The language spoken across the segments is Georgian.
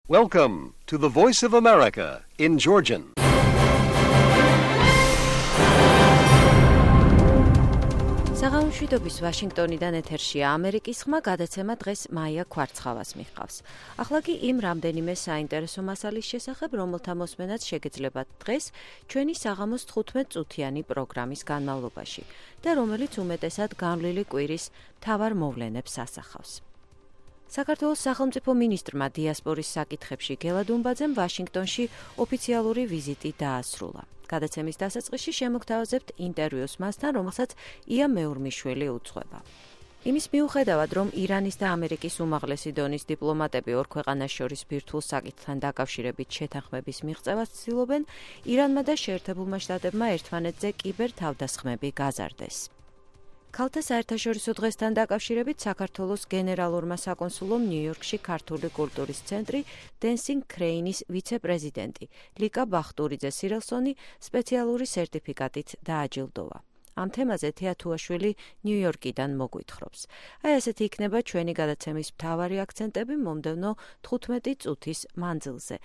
Welcome to the Voice of America in Georgian. საღამომშვიდობის ვაშინგტონიდან ეთერშია ამერიკის ხმა, გადაცემა დღეს მაია ქვარცხავას მიჰყავს. ახლა კი იმ რამდენიმე საინტერესო მასალის შესახებ, რომელთა მოსმენაც შეგეძლებათ დღეს ჩვენი საღამოს 15 წუთიანი პროგრამის განმავლობაში და რომელიც უმეტესად განვლილი კვირის მთავარ მოვლენებს ასახავს. საქართველოს სახელმწიფო მინისტრმა დიასპორის საკითხებში გელა დუმბაძემ ვაშინგტონში ოფიციალური ვიზიტი დაასრულა. გადაცემის დასაწყისში შემოგთავაზებთ ინტერვიუს მასთან, რომელსაც ია მეურმიშვილი უძღვება. იმის მიუხედავად, რომ ირანის და ამერიკის უმაღლესი დონის დიპლომატები ორ ქვეყანას შორის ბირთვულ საკითხთან დაკავშირებით შეთანხმების მიღწევას ცდილობენ, ირანმა და შეერთებულმა შტატებმა ერთმანეთზე კიბერ თავდასხმები გაზარდეს. ქალთა საერთაშორისო დღესთან დაკავშირებით საქართველოს გენერალურმა საკონსულომ ნიუ-იორკში ქართული კულტურის ცენტრი Dancing Crane-ის ვიცე-პრეზიდენტი ლიკა ბახტურიძე სირელსონი სპეციალური სერტიფიკატით დააჯილდოვა. ამ თემაზე თეათუაშვილი ნიუ-იორკიდან მოგვითხრობს. აი ასეთი იქნება ჩვენი გადაცემის მთავარი აქცენტები მომდევნო 15 წუთის მანძილზე.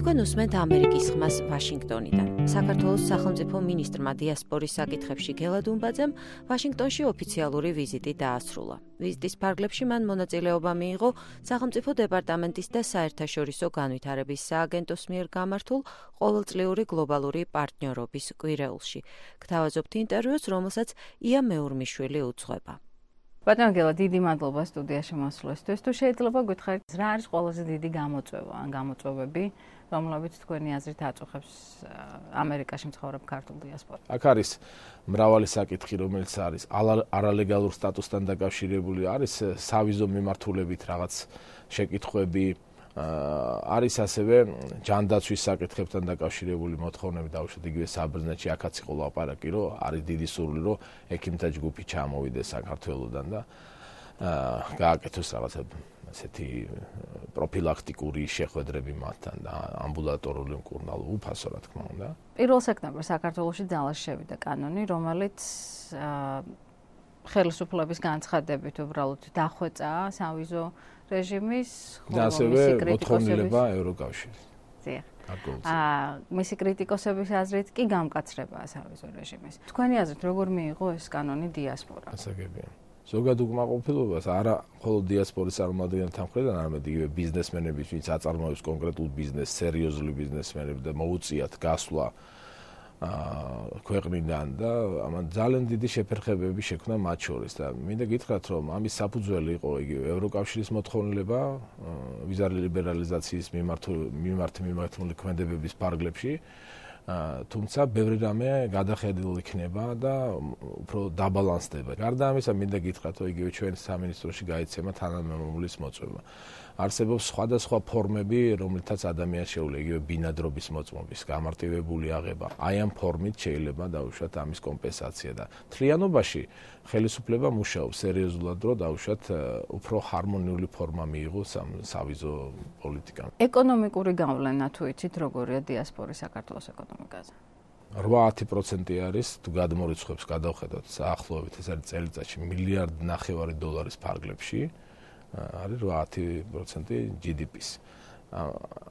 თქვენ უსმენთ ამერიკის ხმას ვაშინგტონიდან. საქართველოს სახელმწიფო მინისტრმა დიასპორის საკითხებში გელა დუმბაძემ ვაშინგტონში ოფიციალური ვიზიტი დაასრულა. ვიზიტის ფარგლებში მან მონაწილეობა მიიღო სახელმწიფო დეპარტამენტის და საერთაშორისო განვითარების სააგენტოს მიერ გამართულ ყოველწლიური გლობალური პარტნიორობის კვირეულში. გთავაზობთ ინტერვიუს, რომელსაც ია მეურმიშვილი უძღვება. ბატონო გელა, დიდი მადლობა სტუდიაში მოსვლისთვის. თუ შეიძლება გითხარით, რა არის ყველაზე დიდი გამოწვევა ან გამოწვევები, რომლებიც თქვენი აზრით აწუხებს ამერიკაში მცხოვრებ ქართულ დიასპორას? აქ არის მრავალი საკითხი, რომელიც არის არალეგალურ სტატუსთან დაკავშირებული, არის სავიზო მიმართულებით რაღაც შეკითხვები, არის ასევე ჯანდაცვის საკითხებთან დაკავშირებული მოთხოვნები, დაუშვათ იგივე საბერძნეთში, აქაც იყო ლაპარაკი, რომ არის დიდი სურვილი, რომ ექიმთა ჯგუფი ჩამოვიდეს საქართველოდან და გააკეთოს რაღაცა ასეთი პროფილაქტიკური შეხვედრები მათთან და ამბულატორული მკურნალობა უფასო, რა თქმა უნდა. 1 სექტემბერს საქართველოში ძალაში შევიდა კანონი, რომელიც ხელისუფლების განცხადებით უბრალოდ დახვეწა სავიზო რეჟიმის, და ასევე მოთხოვნილება ევროკავშირის. დიახ. მისი კრიტიკოსების აზრით კი გამკაცრებაა სავიზო რეჟიმის. თქვენი აზრით როგორ მიიღო ეს კანონი დიასპორა? ასაგებია. ზოგად უკმაყოფილებას არა მხოლოდ დიასპორის წარმომადგენელთა მხრიდან, არამედ იგივე ბიზნესმენების, ვინც აწარმოებს კონკრეტულ ბიზნესს, სერიოზული ბიზნესმენები და მოუწიათ გასვლა ქვეყნიდან და ამან ძალიან დიდი შეფერხებები შექმნა მათ შორის და მინდა გითხრათ, რომ ამის საფუძველი იყო იგივე ევროკავშირის მოთხოვნილება ვიზა ლიბერალიზაციის მიმართული ქმედებების ფარგლებში, თუმცა ბევრი რამე გადახედულ იქნება და უფრო დაბალანსდება. გარდა ამისა, მინდა გითხრათ, რომ იგივე ჩვენ სამინისტროში გაიცემა თანამემამულის მოწვევა. არსებობს სხვადასხვა ფორმები, რომლითაც ადამიანს შეუძლია იგივე ბინადრობის მოწმობის, გამარტივებული აღება. აი ამ ფორმით შეიძლება დაუშვათ ამის კომპენსაცია და მთლიანობაში ხელისუფლება მუშაობს სერიოზულად, რომ დაუშვათ უფრო ჰარმონიული ფორმა მიიღოს ამ სავიზო პოლიტიკამ. ეკონომიკური გავლენა თუ იცით, როგორია დიასპორის საქართველოს ეკონომიკაზე? 8% არის, თუ გადმორიცხვებს გადავხედოთ საახლოებით, ეს არის წელიწადში $1.5 მილიარდის ფარგლებში. არის 8% GDP-ს.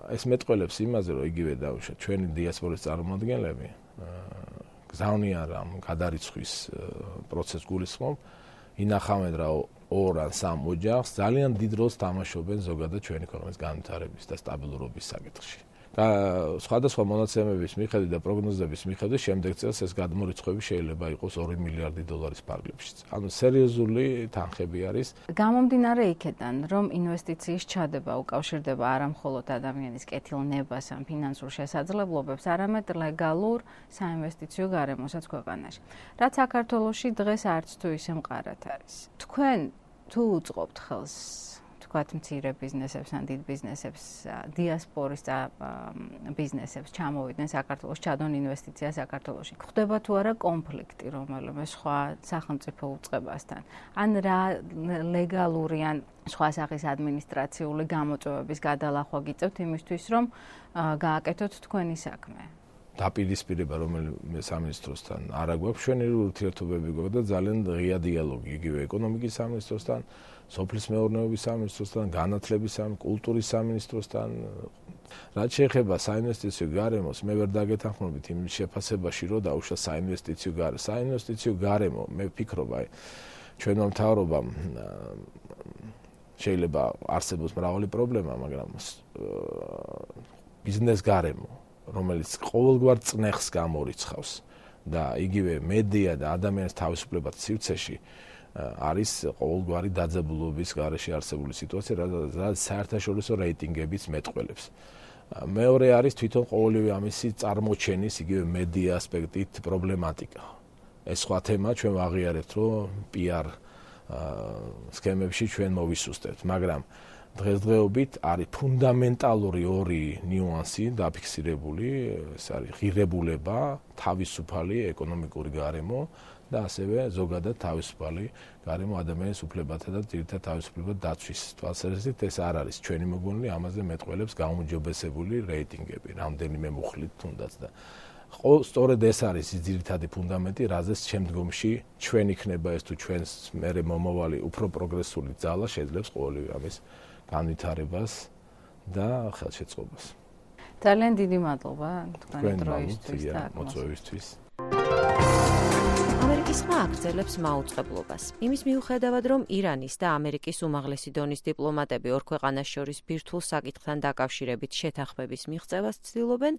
ეს მეტყველებს იმაზე, რომ იგივე დაუშვათ ჩვენი დიასპორის წარმომადგენლები გზავნიან რამ გადარიცხვის პროცესს გულისხმობ, ინახავენ რა 2 ან 3 ოჯახს, ძალიან დიდ როლს თამაშობენ ზოგადად ჩვენი ქვეყნის განვითარების და სტაბილურობის საკითხში. სხვადასხვა მონაცემების მიხედვით და პროგნოზების მიხედვით შემდეგ წელს ეს გადმორიცხვები შეიძლება იყოს $2 მილიარდი ფარგლებშიც. ანუ სერიოზული თანხები არის. გამომდინარე იქედან, რომ ინვესტიციის ჩადება უკავშირდება არა მხოლოდ ადამიანის კეთილნებას ან ფინანსურ შესაძლებლობებს, არამედ ლეგალურ საინვესტიციო გარემოსაც ქვეყანაში. რაც საქართველოში დღეს არც თუ ისე მყარად არის. თქვენ თუ უწყობთ ხელს თქვათ მცირე ბიზნესებს ან დიდ ბიზნესებს, დიასპორის ბიზნესებს ჩამოვიდნენ საქართველოს, ჩადონ ინვესტიცია საქართველოში. ხდება თუ არა კონფლიქტი რომელიმე სხვა სახელმწიფო უწყებასთან? ან რა ლეგალური ან სხვა სახის ადმინისტრაციული გამოწვევების გადალახვა გიწევთ იმისთვის, რომ გააკეთოთ თქვენი საქმე? დაპირისპირება რომელიმე სამინისტროსთან არ აქვს, ჩვენი ურთიერთობები გვაქვს და ძალიან ღია დიალოგი იგივე ეკონომიკის სამინისტროსთან, სოფლის მეურნეობის სამინისტროსთან, განათლების კულტურის სამინისტროსთან. რაც შეეხება საინვესტიციო გარემოს, მე ვერ დაგეთანხმებით იმ შეფასებაში, რომ დაუშვა საინვესტიციო გარემო. საინვესტიციო გარემო, მე ვფიქრობ, ჩვენმა მთავრობამ შეიძლება არსებობს მრავალი პრობლემა, მაგრამ ბიზნეს გარემო, რომელიც ყოველგვარ წნეხს გამორიცხავს და იგივე მედია და ადამიანის თავისუფლება სივრცეში არის ყოველგვარი დაძაბულობის გარეშე არსებული სიტუაცია, რაც საერთაშორისო რეიტინგებიც მეტყველებს. მეორე არის თვითონ ყოველივე ამისი წარმოჩენის იგივე მედია ასპექტით პრობლემატიკა. ეს სხვა თემა, ჩვენ ვაღიარებთ, რომ PR სქემებში ჩვენ მოვისუსტებთ, მაგრამ დღესდღეობით არის ფუნდამენტალური ორი ნიუანსი დაფიქსირებული, ეს არის ღირებულება, თავისუფალი ეკონომიკური გარემო და ასევე ზოგადად თავისუფალი გარემო ადამიანის უფლებათა და ძირითად თავისუფლება დაცვის თვალსაზრისით. ეს არ არის ჩვენი მოგონილი, ამაზე მეტყველებს გაუმჯობესებული რეიტინგები, რამდენიმე მუხლით თუნდაც და სწორედ ეს არის ის ძირითადი ფუნდამენტი, რაზეც შემდგომში ჩვენ იქნება ეს თუ ჩვენს მერე მომავალი უფრო პროგრესული ძალა შეძლებს ყოველივე ამის განვითარებას და ხელშეწყობას. ძალიან დიდი მადლობა თქვენი დროისთვის და მოწვევისთვის. ამერიკის ხმა აგრძელებს მაუწყებლობას. იმის მიუხედავად, რომ ირანის და ამერიკის უმაღლესი დონის დიპლომატები ორ ქვეყანას შორის ბირთვულ საკითხთან დაკავშირებით შეთანხმების მიღწევას ცდილობენ,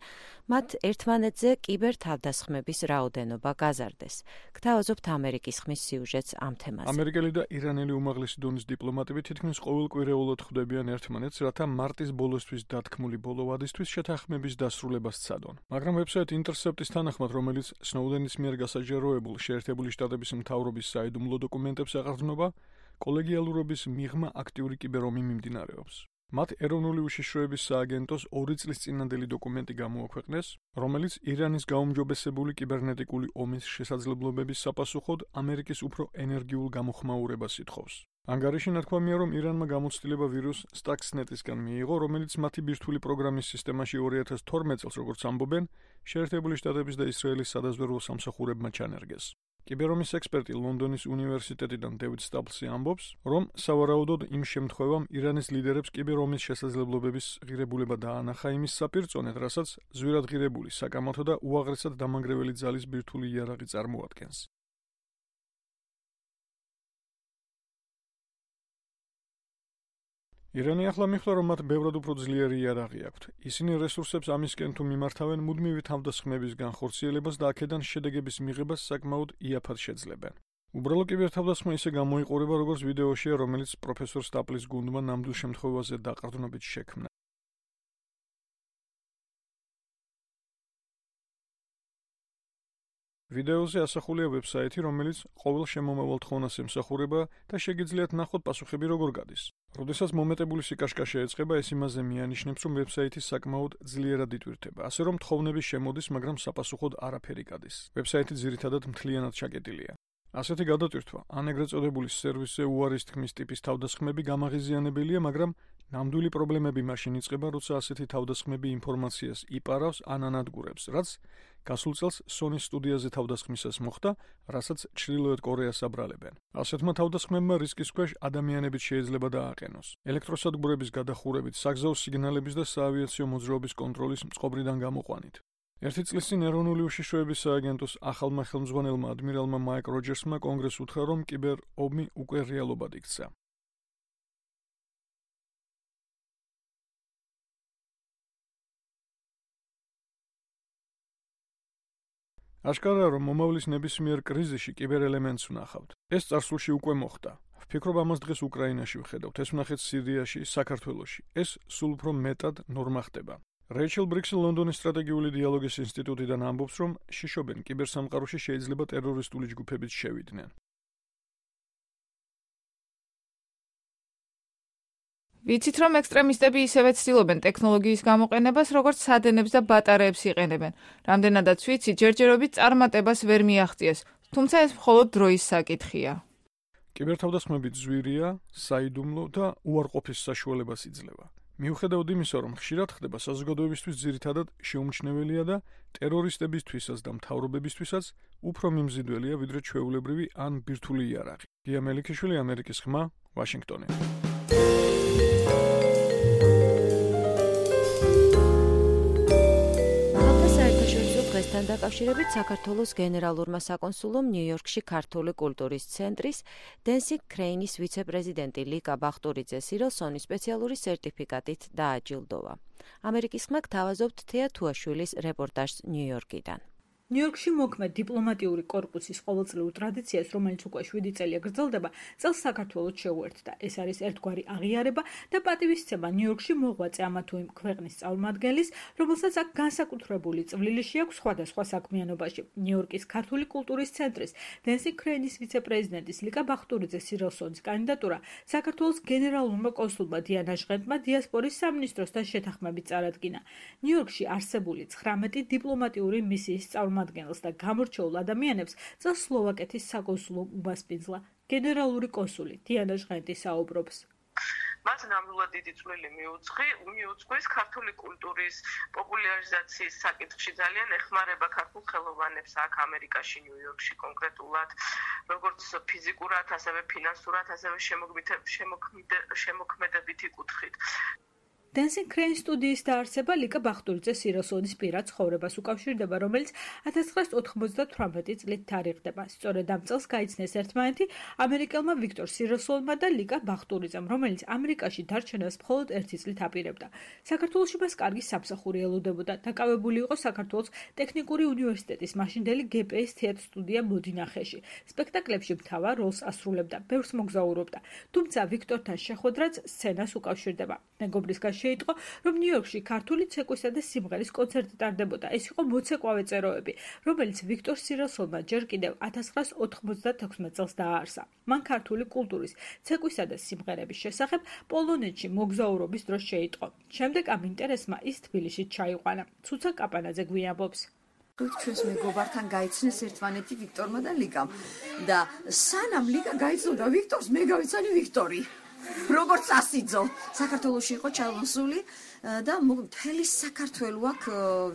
მათ ერთმანეთზე კიბერთავდასხმების რაოდენობა გაზარდეს. გთავაზობთ ამერიკის ხმის სიუჟეტს ამ თემაზე. ამერიკელი და ირანელი უმაღლესი დონის დიპლომატები თითქმის ყოველკვირეულად ხვდებიან ერთმანეთს, რათა მარტის ბოლოსთვის დათქმული ბოლო ვადისთვის შეთანხმების დასრულებას სცადონ. მაგრამ ვებსაიტ ინტერსეპტის თანახმად, რომელიც სნოუდენის მიერ გასაჯაროებულ შეერთებული შტატების მთავრობის საიდუმლო დოკუმენტებს ეყრდნობა, კოლეგიალურობის მიღმა აქტიური კიბერომი მიმდინარეობს. მათ ეროვნული უშიშროების სააგენტოს 2 წლის წინანდელი დოკუმენტი გამოაქვეყნეს, რომელიც ირანის გაუმჯობესებული კიბერნეტიკული ომის შესაძლებლობების საპასუხოდ ამერიკის უფრო ენერგიულ გამოხმაურებას ითხოვს. ანგარიში ნათქვამია, რომ ირანმა გამოცდილება ვირუს Stuxnet-ისგან მიიღო, რომელიც მათი ბირთვული პროგრამის სისტემაში 2012 წელს, როგორც ამბობენ, შეერთებული შტატების და ისრაელის სადაზვერვო სამსახურებმა ჩანერგეს. კიბერომის ექსპერტი ლონდონის უნივერსიტეტიდან დევიდ სტაპლსი ამბობს, რომ სავარაუდოდ იმ შემთხვევამ ირანის ლიდერებს კიბერომის შესაძლებლობების ღირებულება დაანახა იმის საპირწონედ, რასაც ზვირად ღირებული, საკამათო და უაღრესად დამანგრეველი ძალის ბირთვული იარაღი წარმოადგენს. ირანი ახლა მიხვდა, რომ მათ ბევრად უფრო ძლიერი იარაღი აქვთ. ისინი რესურსებს ამისკენ თუ მიმართავენ მუდმივი თავდასხმების განხორციელებას და აქედან შედეგების მიღებას საკმაოდ იაფად შეძლებენ. უბრალო კიბერთავდასხმა ისე გამოიყურება, როგორც ვიდეოშია, რომელიც პროფესორ სტაპლის გუნდმა ნამდვილ შემთხვევაზე დაყრდნობით შექმნა. ვიდეოზე ასახულია ვებსაიტი, რომელიც ყოველ შემომავალ თხოვნას ემსახურება და შეგიძლიათ ნახოთ პასუხები როგორ გადის. როდესაც მომეტებული სიკაშკაშა ეწყება, ეს იმაზე მიანიშნებს, რომ ვებსაიტი საკმაოდ ძლიერად იტვირთება, ასე რომ თხოვნები შემოდის, მაგრამ საპასუხოდ არაფერი გადის. ვებსაიტი ძირითადად მთლიანად ჩაკეტილია. ასეთი გადატვირთვა, ან ეგრეთ წოდებული სერვისზე უარის თქმის ტიპის თავდასხმები გამაღიზიანებელია, მაგრამ ნამდვილი პრობლემები მაშინ იწყება, როცა ასეთი თავდასხმები ინფორმაციას იპარავს ან ანადგურებს, რაც გასულ წელს Sony სტუდიაზე თავდასხმისას მოხდა, რასაც ჩრდილოეთ კორეას აბრალებენ. ასეთმა თავდასხმებმა რისკის ქვეშ ადამიანებიც შეიძლება დააყენოს. ელექტროსადგურების გადახურებით, საგზაო სიგნალების და საავიაციო მოძრაობის კონტროლის წყობრიდან გამოყვანით. ერთი წლის წინ ეროვნული უშიშროების სააგენტოს ახალმა ხელმძღვანელმა ადმირალმა მაიკ როჯერსმა კონგრესს უთხრა, რომ კიბერ ომი უკვე რეალობად იქცა. აშკარაა, რომ მომავლის ნებისმიერ კრიზისში კიბერ ელემენტს ვნახავთ. ეს წარსულში უკვე მოხდა. ვფიქრობ, ამას დღეს უკრაინაში ვხედავთ, ეს ვნახეთ სირიაში, საქართველოში. ეს სულ უფრო მეტად ნორმა ხდება. რეიჩელ ბრიქსი ლონდონის სტრატეგიული დიალოგის ინსტიტუტიდან ამბობს, რომ შიშობენ კიბერსამყაროში შეიძლება ტერორისტული ჯგუფებიც შევიდნენ. ვიცით, რომ ექსტრემისტები ისევე ცდილობენ ტექნოლოგიის გამოყენებას, როგორც სადენებს და ბატარეებს იყენებენ. რამდენადაც ვიცი, ჯერჯერობით წარმატებას ვერ მიაღწიეს, თუმცა ეს მხოლოდ დროის საკითხია. კიბერთავდასხმები ძვირია, საიდუმლო და უარყოფის საშუალებას იძლევა. მიუხედავად იმისა, რომ ხშირად ხდება საზოგადოებისთვის ძირითადად შეუმჩნეველია და ტერორისტებისთვისაც და მთავრობებისთვისაც უფრო მიმზიდველია, ვიდრე ჩვეულებრივი ან ბირთვული იარაღი. გია მელიქიშვილი, ამერიკის ხმა, ვაშინგტონი. დღესთან დაკავშირებით საქართველოს გენერალურმა საკონსულომ ნიუ-იორკში ქართული კულტურის ცენტრის დენსინგ კრეინის ვიცე-პრეზიდენტი ლიკა ბახტურიძე სირილსონის სპეციალური სერტიფიკატით დააჯილდოვა. ამერიკის ხმა გთავაზობთ თეა თუაშვილის რეპორტაჟს ნიუ-იორკიდან. ნიუ-იორკში მოქმედ დიპლომატიური კორპუსის ყოველწლიურ ტრადიციას, რომელიც უკვე 7 წელია გრძელდება, წელს საქართველოს შეუერთდა. ეს არის ერთგვარი აღიარება და პატივისცემა ნიუ-იორკში მოღვაწე ამა თუ იმ ქვეყნის წარმომადგენლის, რომელსაც აქ განსაკუთრებული წვლილი აქვს სხვადასხვა საქმიანობაში. ნიუ-იორკის ქართული კულტურის ცენტრის დენსინგ კრეინის ვიცე-პრეზიდენტის ლიკა ბახტურიძე სირილსონის კანდიდატურა საქართველოს გენერალურმა კონსულმა დიანა ჟღენტმა დიასპორის სამინისტროსთან შეთანხმებით წარადგინა. ნიუ-იორკში არსებული 19 დიპლომატიური მისიის წარმომადგენელს და გამორჩეულ ადამიანებს წელს სლოვაკეთის საკონსულო უმასპინძლა. გენერალური კონსული დიანა ჟღენტი საუბრობს. მას ნამდვილად დიდი წვლილი მიუძღვის ქართული კულტურის პოპულარიზაციის საკითხში ძალიან ეხმარება ქართულ ხელოვანებს აქ ამერიკაში, ნიუ-იორკში კონკრეტულად, როგორც ფიზიკურად, ასევე ფინანსურად, ასევე შემოქმედებითი კუთხით. დენსინგ კრეინის სტუდიის დაარსება ლიკა ბახტურიძე სირილსონის პირად ცხოვრებას უკავშირდება, რომელიც 1998 წლით თარიღდება. სწორედ ამ წელს გაიცნეს ერთმანეთი ამერიკელმა ვიქტორ სირილსონმა და ლიკა ბახტურიძემ, რომელიც ამერიკაში დარჩენას მხოლოდ 1 წლით აპირებდა. საქართველოში მას კარგი სამსახური ელოდებოდა. დაკავებული იყო საქართველოს ტექნიკური უნივერსიტეტის მაშინდელი გპ-ის თეატრ სტუდია მოდინახეში. სპექტაკლებში მთავარ როლს ასრულებდა, ბევრს მოგზაურობდა. თუმცა ვიქტორთან შეხვედრაც სცენას უკავშირდება. მეგობრისგან შეიტყო, რომ ნიუ-იორკში ქართული ცეკვისა და სიმღერის კონცერტი ტარდებოდა. ეს იყო მოცეკვავე წეროები, რომელიც ვიქტორ სირილსონმა ჯერ კიდევ 1996 წელს დააარსა. მან ქართული კულტურის, ცეკვისა და სიმღერების შესახებ პოლონეთში მოგზაურობის დროს შეიტყო. შემდეგ ამ ინტერესმა ის თბილისში ჩაიყვანა. ცუცა კაპანაძე გვიამბობს. ჩვენს მეგობართან გაიცნეს ერთმანეთი ვიქტორმა და ლიკამ და სანამ ლიკა გაიცნოდა ვიქტორს, მე გავიცანი ვიქტორი. როგორც ასიძო საქართველოში იყო ჩალონსული და მთელი საქართველო აქ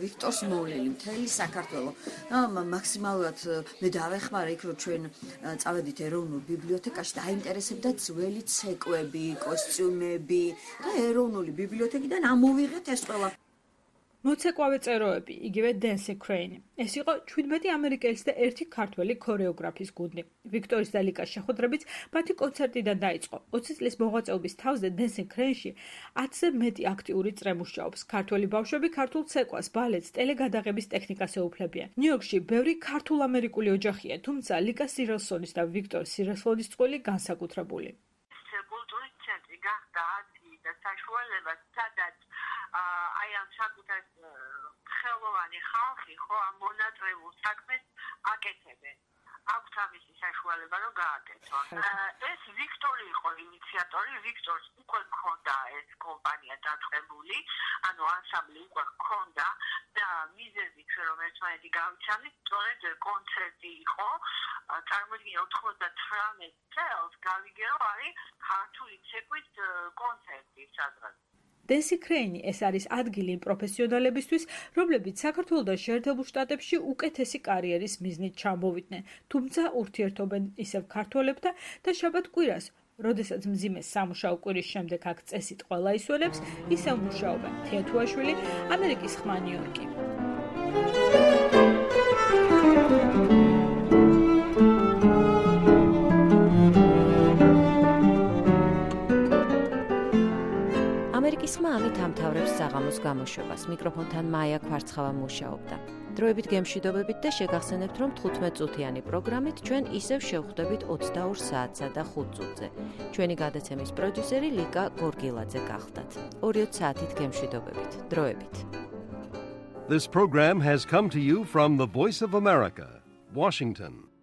ვიქტორს მოვლელი, მთელი საქართველო. მაქსიმალურად მე დავეხმარა იქ რომ ჩვენ წავედით ეროვნულ ბიბლიოთეკაში და აინტერესებდა ძველი ცეკვები, კოსტიუმები და ეროვნული ბიბლიოთეკიდან ამოვიღეთ ეს ყველა. მოცეკვავე წეროები, იგივე დენსინგ კრეინი. ეს იყო 17 ამერიკელის და 1 ქართველი ქორეოგრაფის გუნდი. ვიქტორის და ლიკას შეხვედრებიც მათი კონცერტიდან დაიწყო. 20 წლის მოღვაწეობის თავზე დენსინგ კრეინში 10-ზე მეტი აქტიური წრე მუშაობს. ქართველი ბავშვები ქართულ ცეკვას, ბალეტს, ტელეგადაღების ტექნიკას ეუფლებიან. ნიუ-იორკში ბევრი ქართულ-ამერიკული ოჯახია, თუმცა ლიკა სირილსონის და ვიქტორ სირილსონის წყვილი განსაკუთრებული. კულტურის ცენტრი გახდა და საშუალება, სადაც აი ამ საკუთარ ხელოვანი ხალხი ხო ამ მონატრებულ საქმეს აკეთებენ. აქვს ამისი საშუალება რომ გააკეთონ. ეს ვიქტორი იყო ინიციატორი, ვიქტორს უკვე მქონდა ეს კომპანია დაწყებული, ანუ ანსამბლი უკვე მქონდა და მიზეზი რომ ერთმანეთი გავიცანით, სწორედ კონცერტი იყო. წარმოიდგინე 98 წელს გავიგე რომ არის ქართული ცეკვით კონცერტი სადღაც. დენსინგ კრეინი ეს არის ადგილი იმ პროფესიონალებისთვის, რომლებიც საქართველოს შეერთებულ შტატებში უკეთესი კარიერის მიზნით ჩამოვიდნენ, თუმცა ურთიერთობენ ისევ ქართველებთან და შაბათ-კვირას, როდესაც მძიმე სამუშაო კვირის შემდეგ აქ წესით ყველა ისვენებს, ისევ მუშაობენ. თეა თუაშვილი, ამერიკის ხმა, ნიუ-იორკი. ამერიკის ხმა ამით ამთავრებს საღამოს გამოშვებას. მიკროფონთან მაია ქვარცხავა მუშაობდა. დროებით გემშვიდობებით და შეგახსენებთ, რომ 15 წუთიანი პროგრამით ჩვენ ისევ შევხვდებით 22 საათსა და 5 წუთზე. ჩვენი გადაცემის პროდიუსერი ლიკა გორგილაძე გახლდათ. 2 საათით გემშვიდობებით. დროებით. This program has come to you from the Voice of America, Washington.